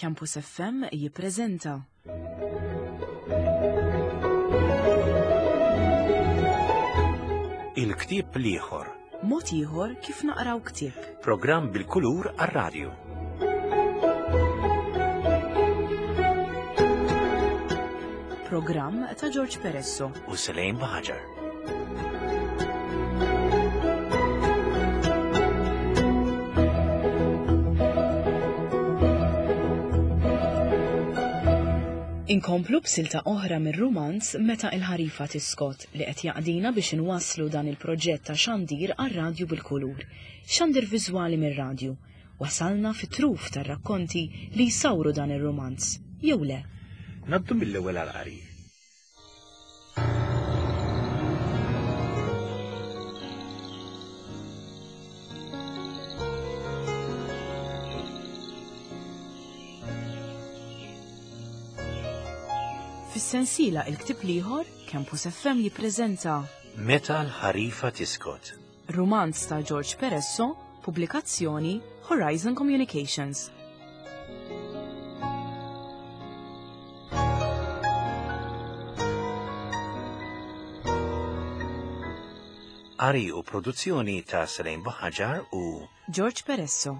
Campus FM jippreżenta. Il-ktieb l-ieħor. Mod ieħor kif naqraw ktieb. Programm bil-kulur għar-radju. Programm ta' George Peresso. U Selejn Baħaġar. Inkomplu b'silta oħra mir-rumanz Meta il-ħarifa tiskot li qed jaqdina biex inwasslu dan il-proġett ta' xandir għar-radju bil-kulur. Xandir viżwali mir-radju. Wasalna fit-truf tar-rakkonti li jsawru dan ir-rumanz, jew le? Ngħaddu mill-ewwel għall-qari. Fis-sensiela Il-Ktieb l-Ieħor, Campus FM jippreżenta Meta l-ħarifa tiskot. Rumanz ta' George Peresso, pubblikazzjoni Horizon Communications. Qari u produzzjoni ta' Selejn Buħaġar u George Peresso.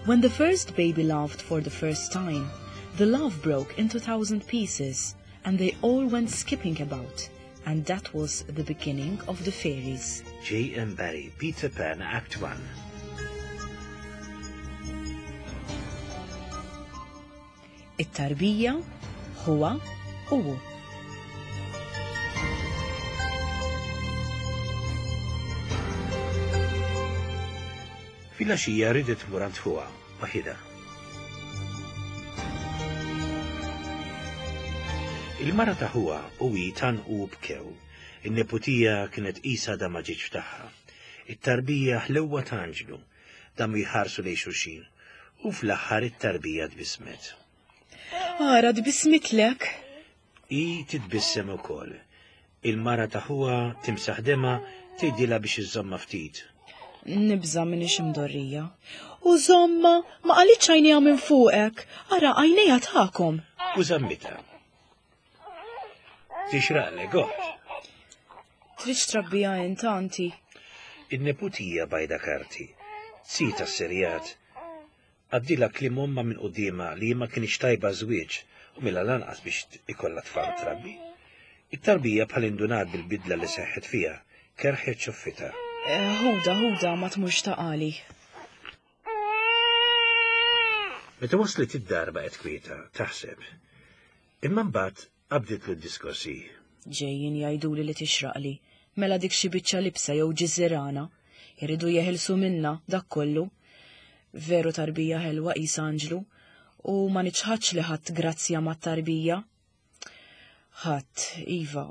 When the first baby laughed for the first time, the love broke into thousand pieces, and they all went skipping about, and that was the beginning of the fairies. J. M. Barrie, Peter Pan, Act 1. It-tarbija, huwa u hu. Filgħaxija ridet tmur għand ħuha, waħidha. Il-mara ta' ħuha u hi tgħannqu u bkew. In-neputija kienet qisha għadha ma ġietx f'tagħha. It-tarbija ħlewwa ta' anġlu. Damu jħarsu lejn xulxin. U fl-aħħar it-tarbija tbissmet. Ara tbissmitlek! Hi titbissem ukoll. Il-mara ta' ħuha timsaħ demha tgħidilha biex iżżommha ftit. Nibża' m'iniex imdorrija. U żommha, ma qalitx għajnejha minn fuqek. Ara għajnejha tagħkom. U żammitha. Tixraqlek, oħt. Tridx trabbija int, anti. In-neputija bajda karti. Sita s-serjat. Għaddilha kliem ommha minn quddiemha li hi ma kinitx tajba għaż-żwieġ u mela lanqas biex ikollha tfal trabbi. It-tarbija bħal indunat bil-bidla li seħħet fiha, kerrħet xuffitha. Ħudha, ħudha, ma tmurx taqali. Meta waslet id-dar baqgħet kwieta, taħseb. Imma mbagħad Qabditlu d-diskors hi. Ġejjin jgħiduli li tixraqli, mela dik xi biċċa libsa jew ġiżirana. Iridu jeħilsu minnha, dak kollu. Veru tarbija ħelwa qisha anġlu, u ma niċħadx li ħadt grazzja mat-tarbija. Ħadt, iva,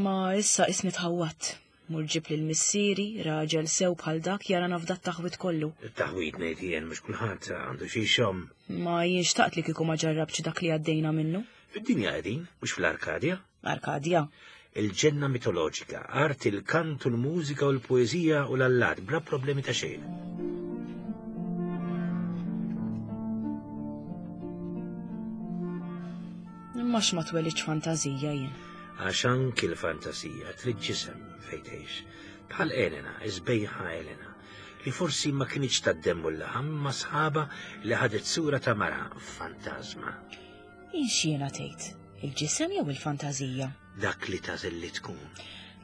ma issa qisni tħawwadt. Mur ġib lil missieri, raġel sew bħal dak jarana f'dat taħwid kollu. Taħwid ngħid jien mhux kulħadd għandu xi jxomm. Ma jien xtaqt li kieku ma ġarrabtx dak li għaddejna minnu. Fid-dinja qegħdin, mhux fl-Arkadja. Arkadja? Il-ġenna mitoloġika, art il-kant u l-mużika u l-poeżija u l-allat bla problemi ta' xejn. Imma x'ma twelidx fantażija jien. Għax anki l-fantasija trid ġisem fejn tgħix. Bħal Elena, iż-sbejħa Elena, li forsi ma kinitx tad-demm u l-laħam imma sħaba li ħadet sura ta' mara fantażma. Jien x'jiena tgħid? Il-ġisem jew il-fantażija? Dak li tagħżel li tkun.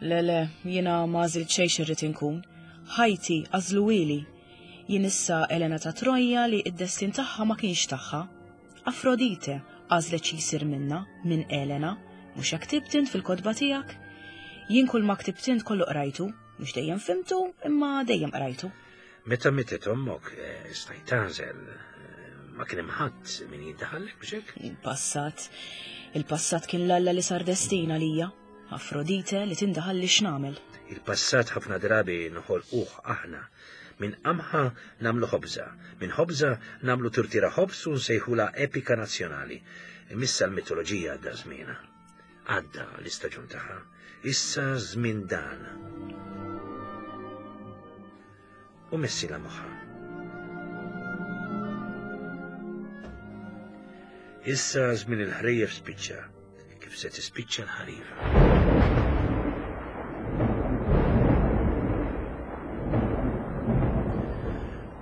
Le le, jiena ma għażilt xejn x'irrid inkun. Ħajti għażluhieli. Jien issa Elena ta' Trojja li d-destin tagħha ma kienx tagħha. Afrodite għażlet xi jsir minnha, minn Elena, mhux hekk ktibt int fil-kotba tiegħek? Jien kull ma ktibt int kollu qrajtu, mhux dejjem fhimtu, imma dejjem qrajtu. Meta mietet ommok, eh, stajt tagħżel, eh, Ma kien hemm ħadd min jindaħallek biex hekk? Il-passat. Il-passat kien l-alla li sar destin għalija. Afrodite li tindaħalli x'nagħmel. Il-passat ħafna drabi nħolquh aħna. Minn qamħa nagħmlu ħobża, minn ħobża nagħmlu turtira ħobż u nsejħulha epika nazzjonali. Imissa l-mitoloġija għadda żmienha. Għadda l-istaġun tagħha. Issa żmien dan. U messilha moħħha. Issa żmien il-ħrejjef spiċċa, kif se tispiċċa l-ħarifa.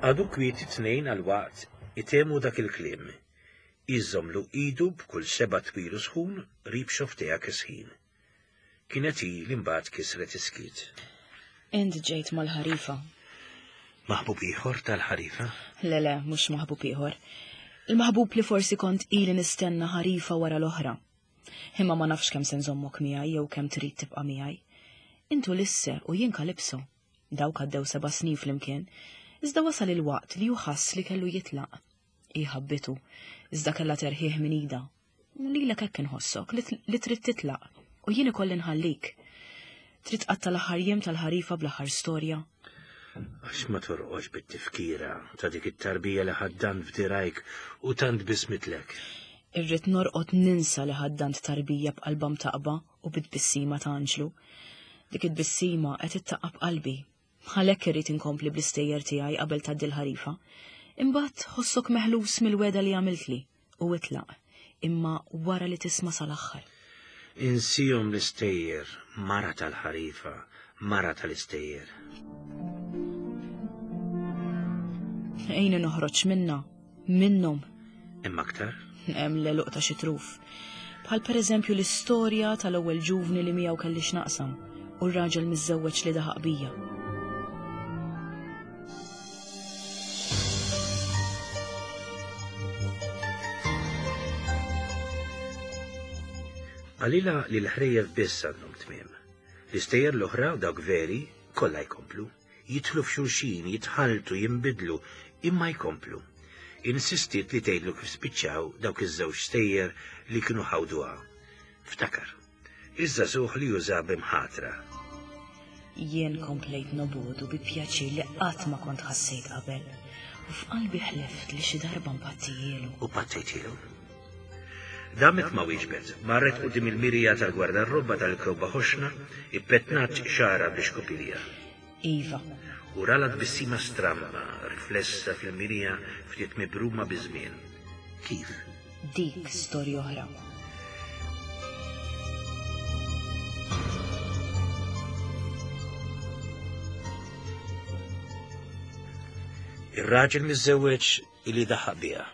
Għadu kwieti tnejn għal waqt itemu dak il-kliem. Iżomlu idu b'kull seba' twil u sħun qrib xofftejha kesħin. Kienet hi li mbagħad kisret is-skiet. Int ġejt mal-ħarifa. Maħbub ieħor tal-ħarifa? Le le, mhux maħbub ieħor. Il-maħbub li forsi kont ili nistenna ħarifa wara l-oħra. Imma ma nafx kemm se nżommok miegħi jew kemm trid tibqa' miegħi. Int Ulisse u jien Kalipso. Dawk għaddew seba' snin flimkien, iżda wasal il-waqt li hu ħass li kellu jitlaq. Hi ħabbitu, iżda kellha terħih minn idha. Lilek hekk inħossok li trid titlaq u jien ikolli nħallik. Trid tqatta' l-aħħar jiem tal-ħarifa bl-aħħar storja? Għax ma torqodx bit-tifkira ta' dik it-tarbija li ħaddant f'dirajk u tant bismitlek. Irrid norqod ninsa li ħaddant tarbija b'qalba mtaqba u bit-tbissima ta' anġlu. Dik it-tbissima qed ittaqqab qalbi. Għalhekk irrid inkompli bl-istejjer tiegħi qabel tgħaddi l-ħarifa. Imbagħad ħossok meħlus mill-wegħda li għamiltli u itlaq, imma wara li tisma' sal-aħħar. Insihom l-istejjer, mara tal-ħarifa, mara tal-istejjer. Ejni noħroġ minnha, minnhom. Hemm aktar? Hemm l-għeluq ta' xi truf. Bħal pereżempju l-istorja tal-ewwel ġuvni li miegħu kelli x'naqsam u r-raġel miżżewweġ li daħaq bija. Qalilha li l-ħrejjef biss għandhom tmiem. L-istejjer l-oħra, dawk veri, kollha jkomplu. Jidħlu f'xulxin, jitħalltu, jinbidlu, imma jkomplu. Insistiet li tgħidlu kif spiċċaw dawk iż-żewġ stejjer li kienu ħawduha. Ftakar. Iż-żagħżugħ li uża b'imħatra. Jien komplejt nobogħdu bi pjaċir li qatt ma kont ħassejt qabel, u f'qalbi ħlift li xi darba npattijielu. U pattejtielu? Damet ma wieġbet, marret quddiem il-mirja tal-gwardarrobba tal-kewba ħoxna, ippetnat xagħarha bl-ixkupilja. Iva. U ralha tbissima stramba, riflessa fil-mirja ftit mibruma biż-żmien. Kif? Dik storja oħra. Ir-raġel miżżewweġ illi daħaq biha.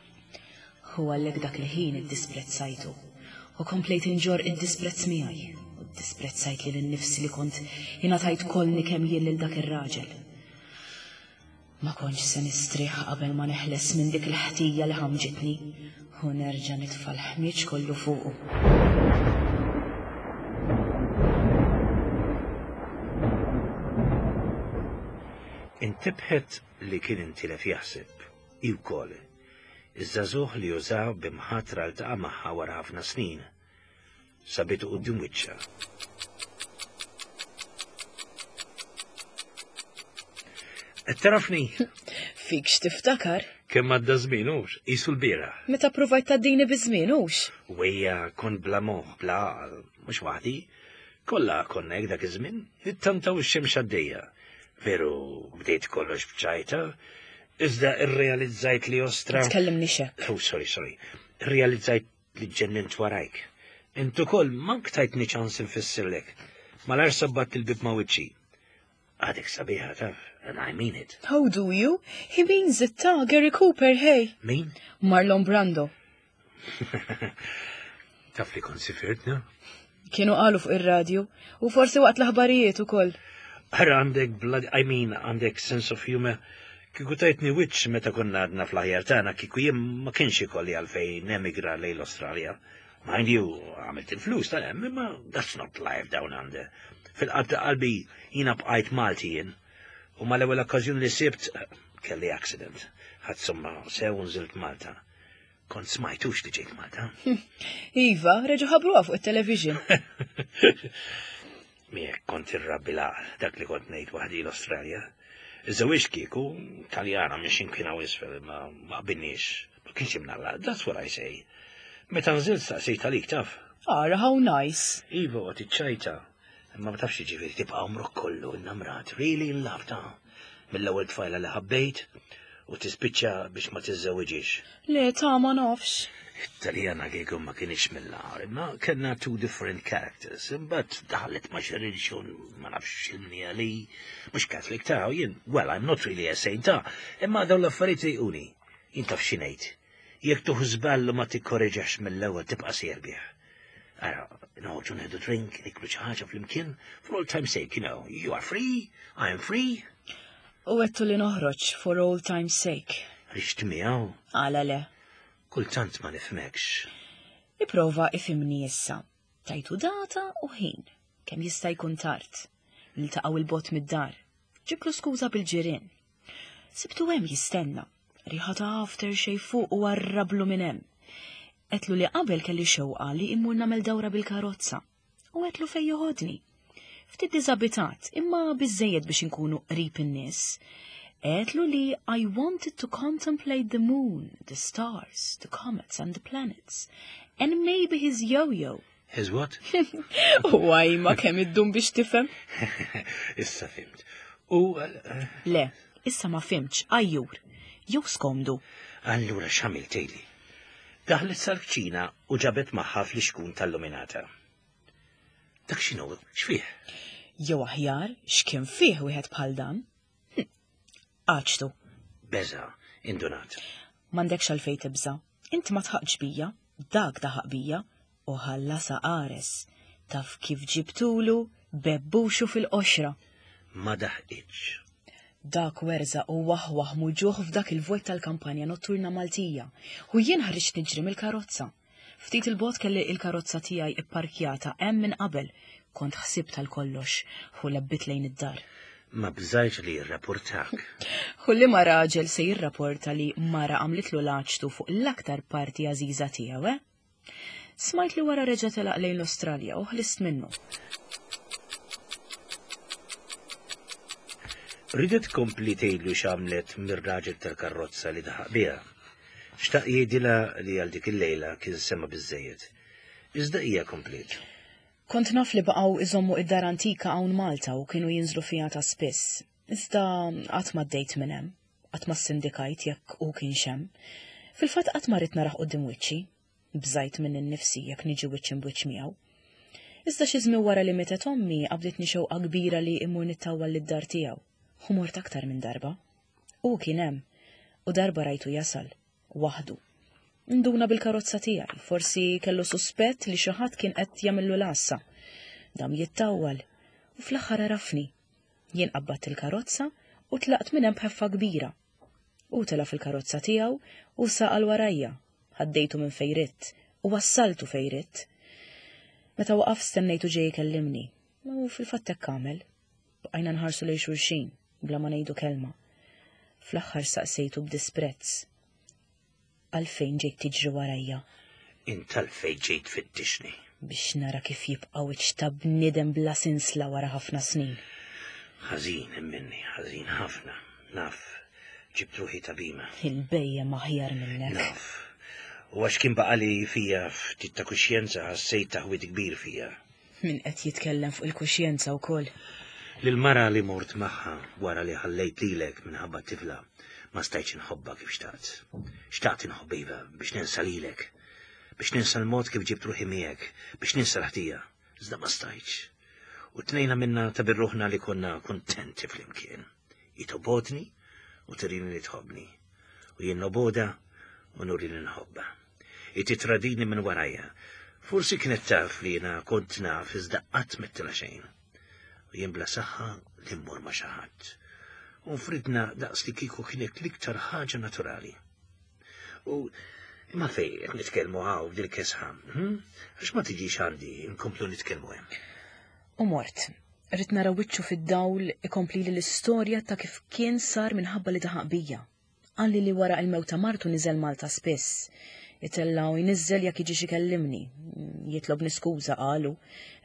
U għalhekk dak il-ħin iddisprezzajtu. U komplejt inġorr id-disprezz miegħi. U ddisprezzajt lili nnifsi li kont ingħatajt kollni kemm jien lil dak ir-raġel. Ma kontx se nistrieħ qabel ma neħles minn dik il-ħtija li ħammġitni u nerġa' nitfa' l-ħmieġ kollu fuqu. Intebħet li kien intilef jaħseb, hi wkoll. Iż-żagħżugħ li uża b'imħatra ltaqa' magħha wara ħafna snin. Sabitu quddiem wiċċha. Qed tarafni? Fik x'tiftakar? Kemm għadda żmien hux, qisu l-bieraħ. Meta provajt tgħaddini biż-żmien hux? Wejja kont bla moħħ, bla għaqal, mhux waħdi. Kollha konna hekk dak iż-żmien, nittantaw ix-xemx għaddejja. Veru bdejt kollox b'ċajta, iżda irrealizzajt li ostra. Tkellimni hekk. Oh, sorry, sorry. Irrealizzajt li ġennint warajk. Int ukoll mank tajtni ċans infissirlek. Malar sabbat il-bib ma' wiċċi. Għadek sabiħa taf, and I mean it. How do you? He means it ta' Gary Cooper, hey. Min? Marlon Brando. Taf li kont sifirt, no? Kienu qalu fuq ir-radju u forsi waqt l-aħbarijiet ukoll. Ara għandek blood, I mean, għandek sense of humor. Kieku tajtni wiċċ meta konna għadna fl-aħjar tagħna kieku jien ma kienx ikolli għalfejn nemigra lejn l-Australja. Mind you, għamilt il-flus tal-hemm, imma that's not life down under. Fil-qalb ta' qalbi jiena bqajt Malti jien. U mal-ewwel okkażjoni li sibt kelli accident. Ħadd somma sew nżilt Malta. Kont smajtux li ġejt Malta. Iva, reġu ħabruha fuq it-television. Miegħek kont irrabbi l-għaqal, dak li kont ngħid waħdi l-Awstralja. Iż-żewġ kieku Taljana minn x'imkien hawn isfel ma ma qbilniex. Ma kienx imnalla, that's what I say. Meta nżilt staqsejt għalik taf. Ara how nice. Iva għot iċ-ċajta. Imma ma tafx jiġifieri tibqa' għomrok kollu innamrat, really in love ta' mill-ewwel tfajla li ħabbejt u tispiċċa biex ma tiżżewwiġix. Le ta' ma nafx. It-Taljana kieku ma kienx mill-agħar, imma kellna two different characters. Imbagħad daħlet ma' xi reliġjon ma nafx x'ilmnija li mhux Catholic ta' jien, well, I'm not really a saint ta' imma dawn l-affarijiet jquni. Jien taf xi ngħid. Jekk tuħ żball u ma tikkoreġax mill-ewwel tibqa' sejjer bih. Ara, noħorġu nieħdu drink, niklu xi ħaġa flimkien, for all time's sake, you know, you are free, I am free. U għedtu li noħroġ for all time's sake. Rixt miegħu? Għala le. Kultant ma nifhmekx. Iprova ifhimni issa. Tajtu data u ħin, kemm jista' jkun tard. Niltaqgħu il-bot mid-dar. Ġiblu skuża bil-ġirien. Sibtu hemm jistenna. Riħa ta' after shave fuq u warrablu minn hemm. Għedtlu li qabel kelli xewqa li immur nagħmel dawra bil-karozza u għedtlu fejn joħodni. Ftit diżabitat, imma biżejjed biex inkunu qrib in-nies. Għedtlu li I wanted to contemplate the moon, the stars, the comets and the planets, and maybe his yo-yo. His what? U għajma kemm iddum biex tifhem. Issa fimt. U. Eh, Le, issa ma fimtx, għajjur. Jew skomdu. Allura x'għamilt tgħidli? Daħlet sal-kċina u ġabet magħha flixkun tal-luminata. Dak x'inhu? X'fih? Jew aħjar, x'kien fih wieħed bħal dan? Hm. Għaġtu. Beża, indunat. M'għandekx għalfejn tibża. Inti ma tħaqx bija, dak daħaq bija u ħallasha qares. Taf kif ġibtulu bebbuxu fil-qoxra. Ma daħqitx. Dak werżaq u waħwaħ muġugħ f'dak il-vojt tal-kampanja notturna Maltija u jien ħriġt niġri mill-karozza. Ftit 'il bogħod kelli il-karozza tiegħi ipparkjata hemm minn qabel. Kont ħsibt għal kollox u lebbit lejn id-dar. Ma bżajtx li jirrapportak. U liema raġel se jirrapporta li mara għamlitlu l-għaġtu fuq l-aktar parti għażiża tiegħu, eh? Smajt li wara reġa' telaq lejn l-Awstralja u ħlist minnu. Ridet tkompli tgħidlu x'għamlet mir-raġel tal-karrozza li daħaq biha. Xtaq jgħidilha li għal dik il-lejla kien sema' biżżejjed. Iżda hija kompliet. Kont naf li baqgħu iżommu id-dar antika hawn Malta u kienu jinżlu fiha ta' spiss. Iżda qatt m'għaddejt minn hemm. Qatt ma ssindikajt jekk hu kienx hemm. Fil-fatt qatt ma ridt narah quddiem wiċċi. Bżajt minni nnifsi jekk niġi wiċċ imb'wiċċ miegħu. Iżda xi żmien wara li mietet ommi qabditni xewqa kbira li immur nittawwal lid-dar tiegħu. U mort aktar minn darba. Hu kien hemm. U darba rajtu jasal. Waħdu. Nduna bil-karozza tiegħi, forsi kellu suspett li xi ħadd kien qed jagħmillu l-għassa. Dam jittawwal. U fl-aħħar għarafni. Jien qabbadt il-karozza u tlaqt minn hemm b'ħeffa kbira. Hu tela' fil-karozza tiegħu u saq għal warajja. Ħaddejtu minn fejn ridt u wassaltu fejn ridt. Meta waqaf stennejtu ġej ikellimni. U fil-fatt hekk għamel. Bqajna nħarsu lejn xulxin bla ma ngħidu kelma. Fl-aħħar saqsejtu b'disprezz. Għalfejn ġejt tiġri warajja? Int għalfejn ġejt tfittixni? Biex nara kif jibqa' wiċċ ta' bniedem bla sinsla wara ħafna snin. Ħażin minni, ħażin ħafna. Naf, ġibt ruħi ta' bima. Il-bejjem aħjar minnek. Naf. U għax kien baqali fija ftit ta' kuxjenza ħassejt taħwid kbir fija. Min qed jitkellem fuq il-kuxjenza wkoll? Lill-mara li mort magħha wara li ħallejt lilek minħabba t-tifla, ma stajtx inħobbha kif xtaqt. Xtaqt inħobb iva biex ninsa lilek, biex ninsa l-mod kif ġibt ruħi miegħek, biex ninsa l-ħtija, iżda ma stajtx. U tnejna minna ta' birruħna li konna kuntenti flimkien. Hi tobgħodni u turini li tħobbni, u jien nobgħodha u nuri li nħobbha. Hi titradini minn warajja. Forsi kienet taf li jiena kont naf iżda qatt m'għedtilha xejn. U jien bla saħħa li mmur ma' xi ħadd. U nfridna daqs li kieku kienet l-iktar ħaġa naturali. U imma fejn qed nitkellmu hawn f'dil kesħa? Hm? Għax ma tiġix għandi nkomplu nitkellmu hemm. U mort. Ridt nara wiċċu fid-dawl ikomplili l-istorja ta' kif kien sar minħabba li daħaq bija. Qalli li wara il-mewt ta' martu niżel Malta spiss. Itella' u jniżżel jekk jiġix ikellimni. Jitlobni skuża qalu,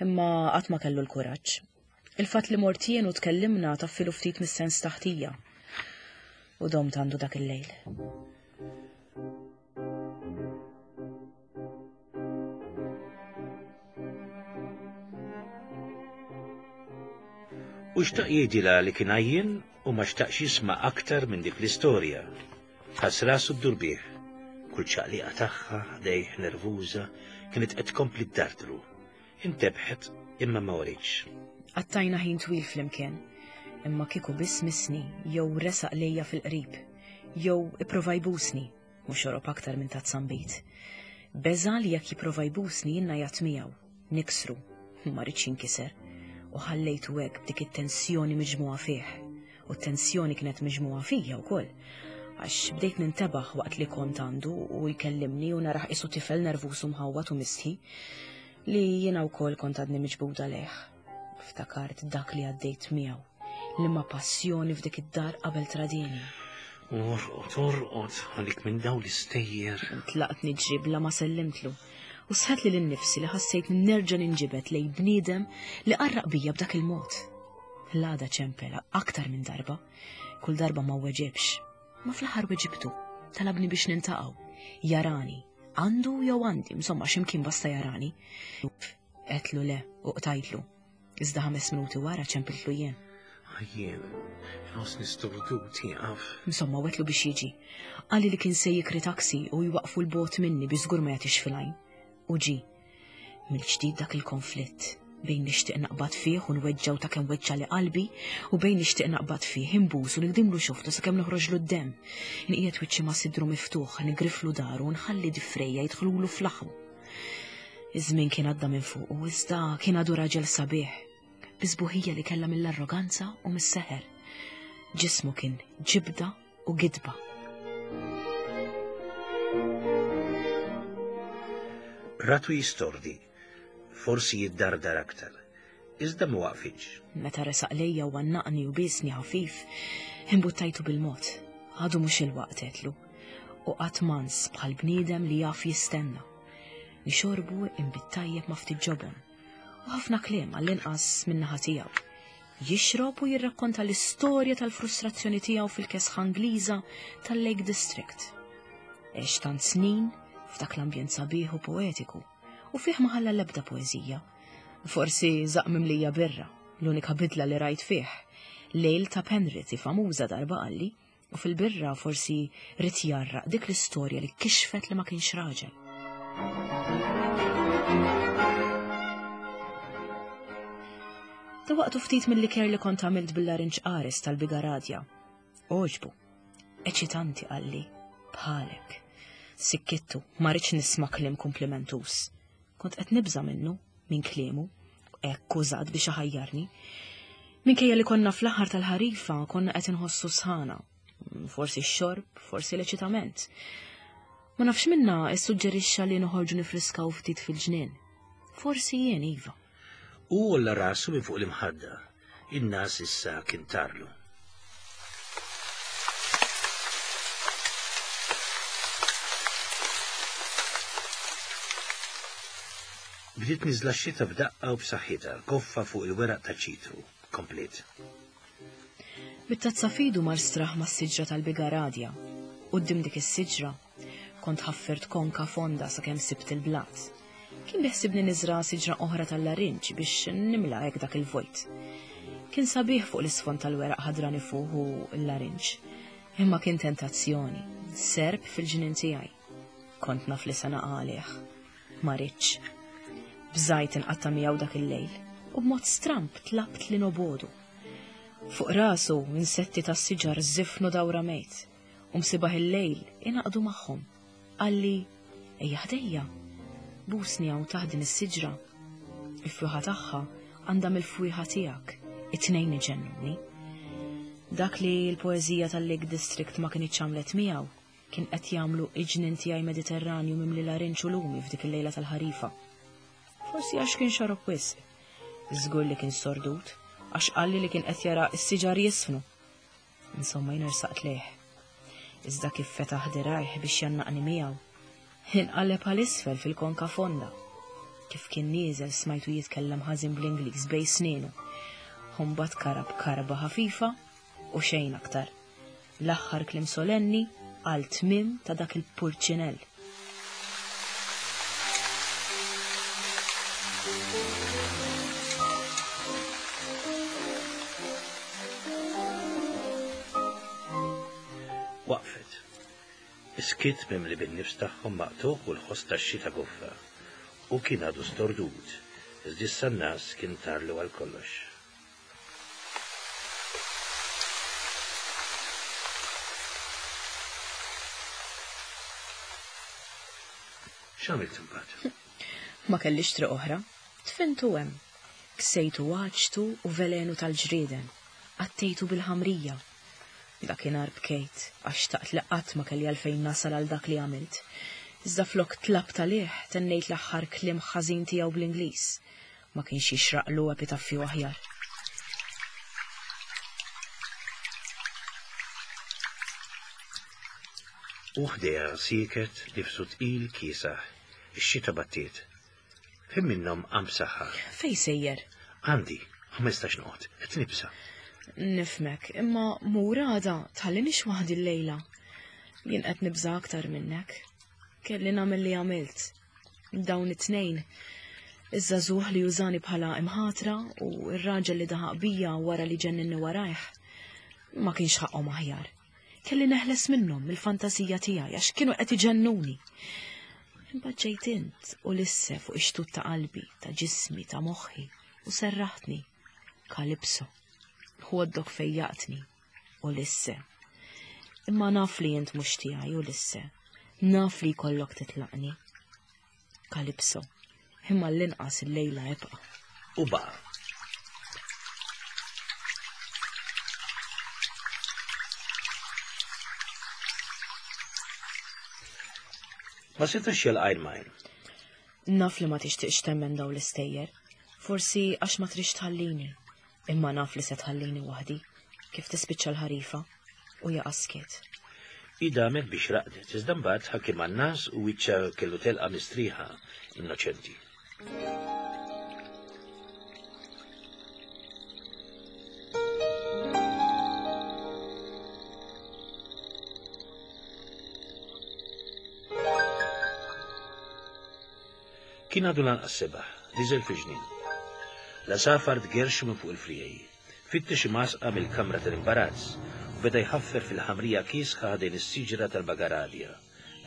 imma qatt ma kellu l-kuraġġ. Il-fatt li mort jien u tkellimna taffilu ftit mis-sens taħtija. U domt għandu dak il-lejl. U xtaq jgħidilha li kien għajjien u ma xtaqx jisma' aktar minn dik l-istorja. Ħass rasu ddur bih. Kull ċaqliqa tagħha ħdejh nervuża kienet qed tkompli ddardru. Intebħet imma ma writx. Qattajna ħin twil flimkien, imma kieku biss missni jew resaq lejja fil-qrib, jew ipprova jbusni, u xorob aktar minn tazza nbid. Beża' li jekk jipprova jbusni jien ngħajjat miegħu, niksru, ma ridx jinkiser, u ħallejtu hekk b'dik it-tensjoni miġmugħa fih. U t-tensjoni kienet miġmugħa fija wkoll. Għax bdejt nintebaħ waqt li kont għandu u jkellimni u narah qisu tifel nervuż u mħawwad u mistħi li jiena wkoll kont għadni miġbuda lejh. Ftakart dak li għaddejt miegħu, li ma passjoni f'dik id-dar qabel tradini. Orqod, orqod, għalik minn daw l-istejjer. Tlaqt niġri bla ma sellimtlu. U sħet li l-nifsi li ħassejt nerġa' ninġibed lej bniedem li qarraq bija b'dak il-mod. L-għada ċempel aktar minn darba, kull darba ma weġibx. Ma fl-aħħar weġibtu, talabni biex nintaqgħu. Jarani, għandu jew għandi, insomma x'imkien basta jarani. Għedtlu le u qtajtlu. Iżda ħames minuti wara ċempiltlu jien. Jien, inħossni stordut jieqaf. Insomma, wetlu biex jiġi. Qalli li kien se jikri taksi u jwaqfu l-bot minni biex żgur ma jagħtix fil-għajn. U ġi. Mill-ġdid dak il-konflitt bejn nixtieq naqbad fih u nweġġaw ta' kemm weġġa li qalbi u bejn nixtieq naqbad fih imbusu nigdimlu xoftu sakemm noħroġlu d-demm. Inqiegħed wiċċi ma' sidru miftuħ, nigriflu daru u nħalli difrejja jidħlulu fl-aħmu. Iż-żmien kien għadda minn fuqu, iżda kien għadu raġel sabiħ, bi sbuħija li kellha mill-arroganza u mis-seħer. Ġismu kien ġibda u gidba. Ratu jistordi, forsi jiddardar aktar, iżda ma waqfitx. Meta resaq lejja u għannaqni u biesni ħafif, imbuttajtu bil-mod. Għadu mhux il-waqt għedtlu. U qatt mans bħal bniedem li jaf jistenna. Nixorbu inbid tajjeb ma' ftit ġobon. U ħafna kliem għall-inqas min-naħa tiegħu. Jixrob u jirrakkonta l-istorja tal-frustrazzjoni tiegħu fil-kesħa Ingliża tal-Lake District. Għex tant snin f'dak l-ambjent sabiħ u poetiku u fih ma ħalla l-ebda poeżija. Forsi żaqq mimlija birra, l-unika bidla li rajt fih. Lejl ta' Penrith famuża darba qalli U fil-birra forsi ried jgħarraq dik l-istorja li kixfet li ma kienx raġel. Dawaqtu ftit mill-liker li kont għamilt bil-larinġ qares tal-bigaradja. Oġbu, eċitanti qalli, bħalek. Sikkittu, ma rridx nisma' kliem komplimentus. Kont qed nibża' minnu, minn kliemu, hekk użat biex iħajjarni. Minkejja li konna fl-aħħar tal-ħarifa konna qed inħossu sħana. Forsi x-xorb, forsi l-eċitament. Ma nafx minna issuġġerixxa li noħorġu nifriskaw ftit fil-ġnien. Forsi jien iva. U għolla rasu minn fuq l-imħadda. In-nas issa kien tarlu. Bdiet niżla x-xita b'daqqa u b'saħħitha, koffa fuq il-weraq ta' ċitru, komplet. Bit-tazza fidu mar straħ mas-siġra tal-bigaradja. Quddiem dik is-siġra Kont ħaffirt konka fonda sakemm sibt il-blat. Kien biħsibni niżra' siġra oħra tal-larinġ biex nimla hekk dak il-vojt. Kien sabiħ fuq l-isfond tal-weraq ħadrani fuq u l-larinġ. Imma kien tentazzjoni, serp fil-ġnien tiegħi. Kont naf li se naqa' għalih. Ma ridtx. Bżajt inqatta' miegħu dak il-lejl u b'mod stramb tlabt li nobodu. Fuq rasu insetti tas-siġar żifnu dawra mejt. U msibaħ il-lejl ingħaqdu magħhom. Qalli, ejja ħdejja, busni hawn taħt din is-siġra. Il-fwieħa tagħha għandha mill-fwieħa tiegħek, it-tnejn iġennuni. Dak li l-poeżija tal-Lake District ma kinitx għamlet miegħu, kien qed jagħmlu iġnien tiegħi Mediterranju mimli larinġ u lumi f'dik il-lejla tal-ħarifa. Forsi għax kien xorob wisq. Żgur li kien stordut, għax qalli li kien qed jara s-siġar jisfnu. Insomma jien ersaqt lejh. Iżda kif fetaħ dirajh biex jannaqni miegħu, Inqaleb għal isfel fil-konka fonda. Kif kien nieżel smajtu jitkellem ħażin bl-Ingliż bej snienu. Mbagħad karab karba ħafifa u xejn aktar. L-aħħar kliem solenni għal tmiem ta' dak il-purċinell. Waqfet. Is-skiet mimli bin-nifs tagħhom maqtugħ u l-ħoss tax-xita goffa. Hu kien għadu stordut, iżda issa n-ngħas kien tarlu għal kollox. X'għamilt imbagħad? Ma kellix triq oħra. Dfintu hemm. Ksejtu għaġtu u velenu tal-ġrieden. Għattejtu bil-ħamrija. Dakinhar bkejt għax xtaqt li qatt ma kelli għalfejn nasal għal dak li għamilt. Iżda flok tlabt għalih tennejt l-aħħar kliem ħażin tiegħu bl-Ingliż. Ma kienx jixraqlu epitaffju aħjar. U ħdejha sieket nifsu tqil kiesaħ. Ix-xita battiet. F'ħin minnhom qam b'saħħa. Fejn sejjer? Għandi, ma nistax noqgħod, qed nibsa'. Nifhmek, imma mur għada, tħallinix waħdi llejla. Jien qed nibża' aktar minnek. Kelli nagħmel li għamilt. Dawn it-tnejn, iż-żagħżugħ li użani bħala imħatra u r-raġel li daħaq bija wara li ġenninni warajh, ma kienx ħaqqhom aħjar. Kelli neħles minnhom mill-fantasija tiegħi għax kienu qed iġennuni. Imbagħad ġejt int u lisse fuq ix-xtut ta' qalbi, ta' ġismi, ta' moħħi u serraħtni. Kalipso, ħoddok fejjaqtni u lisse. Imma naf li int mhux tiegħi u lisse. Naf li jkollok titlaqni. Kalipso, imma l-inqas il-lejla ibqa'. U baqa'. Ma setax jilqajn majn. Naf li ma tixtieqx temmen daw l-istejjer. Forsi għax ma trix tħallini. Imma naf li se tħallini waħdi, kif tispiċċa l-ħarifa u jaqa' skiet. Hi damet biex raqdet, iżda mbagħad ħakimha n-ngħas u wiċċha kellu telqa mistrieħa innoċenti. Kien għadu lanqas sebaħ, niżel fil-ġnien. L-għasafar tgerrxu minn fuq il-friegħi. Fittex imgħasqa mill-kamra tal-imbarazz u beda jħaffer fil-ħamrija kiesħa ħdejn is-siġra tal-bagaradja,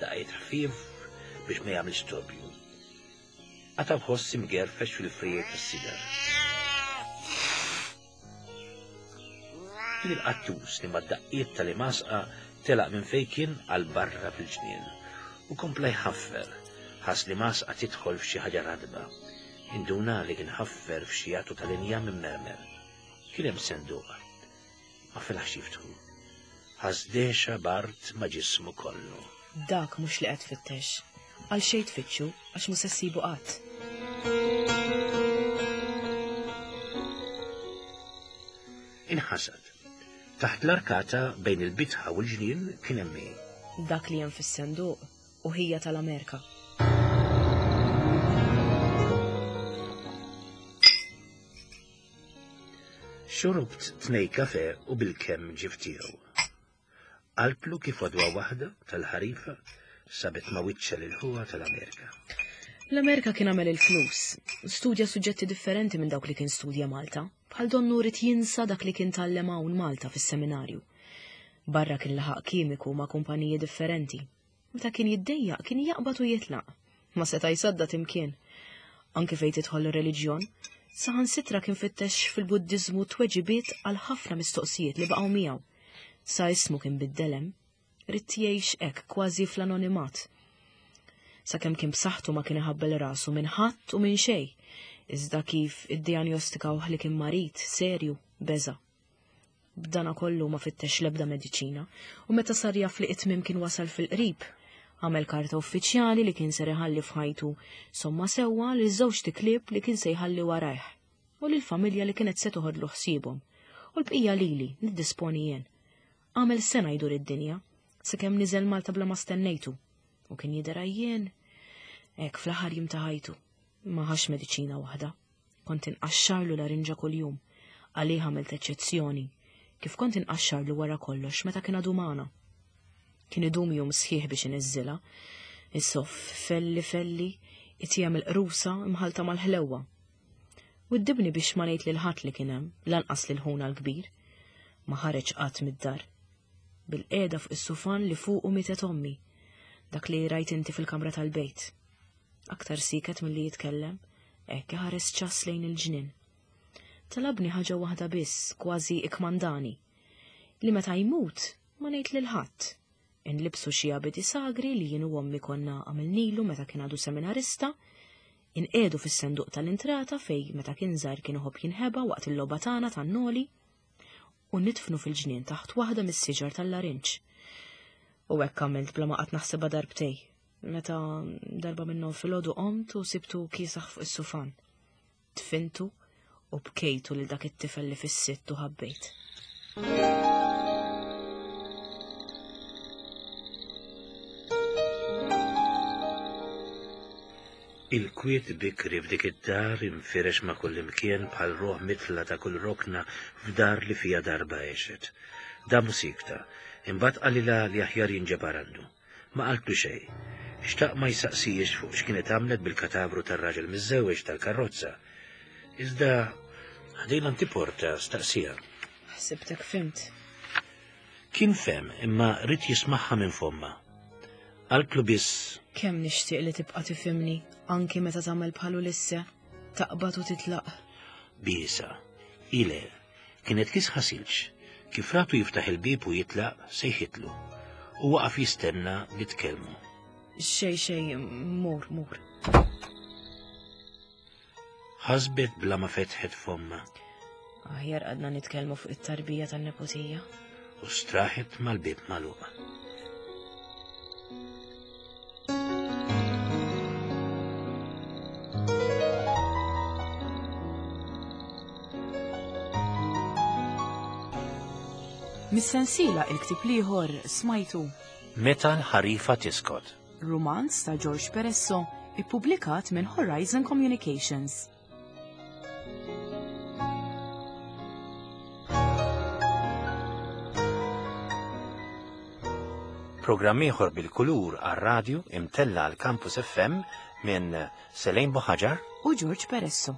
daqqiet ħfief biex ma jagħmilx storbju. Qata' ħoss imgerfex fil-friegħi tas-sigar. Kien il-qattus li mad-daqqiet tal-imgħasqa telaq minn fejn kien għal barra fil-ġnien u kompla jħaffer, ħass l-imgħasqa tidħol f'xi ħaġa ratba. Induna li kien ħaffer f'xi għatu tal-injam immermer. Kien hemm senduq. Ma felaħx jiftħu. Ħass dehxa b'art ma' ġismu kollu. Dak mhux li qed tfittex. Għal xejn tfittxu għax mhu se ssibu qatt. Inħasad. Taħt l-arkata bejn il-bitħa u l-ġnien kien hemm hi. Dak li hemm fis-senduq u ħija tal-Amerika. Xorobt tnej kafe u bilkemm ġie f'tiegħu. Qaltlu kif għodwa waħda tal-ħarifa sabet ma' wiċċha lil ħuha tal-Amerika. L-Amerika kien għamel il-flus, studja suġġetti differenti minn dawk li kien studja Malta, bħal donnu ried jinsa dak li kien tgħallem hawn Malta fis-seminarju. Barra kien laħaq kimiku ma' kumpaniji differenti. Meta kien jiddejjaq kien jaqbad u jitlaq. Ma seta' jsaddad imkien. Anki fejn tidħol ir-reliġjon, saħansitra kien fittex fil-Buddiżmu tweġibiet għal ħafna mistoqsijiet li baqgħu miegħu. Sa ismu kien biddel hemm. Ried jgħix hekk kważi fl-anonimat. Sakemm kien b'saħħtu ma kien iħabbel rasu minn ħadd u minn xejn. Iżda kif iddijanjostikawh li kien marid serju, beża'. B'dana kollu ma fittex l-ebda mediċina u meta sar jaf li it-tmiem kien wasal fil-qrib, għamel karta uffiċjali li kien ser iħalli f'ħajtu somma sewwa lil żewġt iklieb li kien se jħalli warajh u lill-familja li kienet se toħodlu ħsiebhom u l-bqija lili niddisponi jien. Għamel sena jdur id-dinja, sakemm niżel Malta bla ma stennejtu. U kien jidher għajjien. Hekk fl-aħħar jiem ta' ħajtu. Ma ħax mediċina waħda. Kont inqaxxarlu larinġa kuljum. Għalih għamilt eċċezzjoni. Kif kont inqaxxarlu wara kollox meta kien għadu magħna. Kien idum jum sħiħ biex iniżżilha. Isoff felli felli, itija mill-qrusa imħalta mal-ħlewwa. Widdibni biex ma ngħid lil ħadd li kien hemm, lanqas lil ħuna l-kbir. Ma ħareġ qatt mid-dar. Bil-qiegħda fuq is-sufan li fuqu mietet ommi, dak li rajt inti fil-kamra tal-bejt. Aktar siket milli jitkellem, hekk iħares ċass lejn il-ġnien. Talabni ħaġa waħda biss, kważi ikkmandani, li meta jmut ma ngħid lil ħadd. Inlibsu xi abiti sagri li jien u ommi konna għamilnilu meta kien għadu seminarista, inqiegħdu fis-senduq tal-intrata fej meta kien żgħir kien iħobb jinħeba waqt il-logħba tagħna tan-noli, u nidfnu fil-ġnien taħt waħda mis-siġar tal-larinġ. U hekk għamilt bla ma qatt naħsibha darbtej. Meta darba minnhom filgħodu qomt u sibtu kiesaħ fuq is-sufan. Dfintu u bkejtu lil dak it-tifel li fis-sitt u ħabbejt. Il-kwiet bikri f'dik id-dar infirex ma' kullimkien bħal ruħ mitla ta' kull rokna f'dar li fiha darba għexet. Damu siekta, imbagħad qalilha li aħjar jinġabar għandu. Ma qaltlu xejn. Xtaq ma jsaqsihiex fuq x'kienet għamlet bil-katavru tar-raġel miżżewweġ tal-karrozza. Iżda ħdejn l-antiporta staqsieha. Ħsibtek fhimt. Kien fehem imma ried jismagħha minn fommha. Qaltlu biss. Kemm nixtieq li tibqa' tifhimni anki meta tagħmel bħal Ulisse, taqbad u titlaq. Biesha. Ile, kienet kisħa silġ. Kif ratu jiftaħ il-bieb u jitlaq, sejħitlu. U waqaf jistenna li tkellmu. Xej, xej, mur, mur. Ħasbet bla ma fetħet fommha. Aħjar għadna nitkellmu fuq it-tarbija tan-neputija. U straħet mal-bieb magħluq. Mis-sensiela il-ktieb l-ieħor smajtu. Meta l-ħarifa tiskot. Rumanz ta' George Peresso, ippubblikat minn Horizon Communications. Programm ieħor bil-kulur għar-radju imtella għal Campus FM minn Selejn Buħaġar u George Peresso.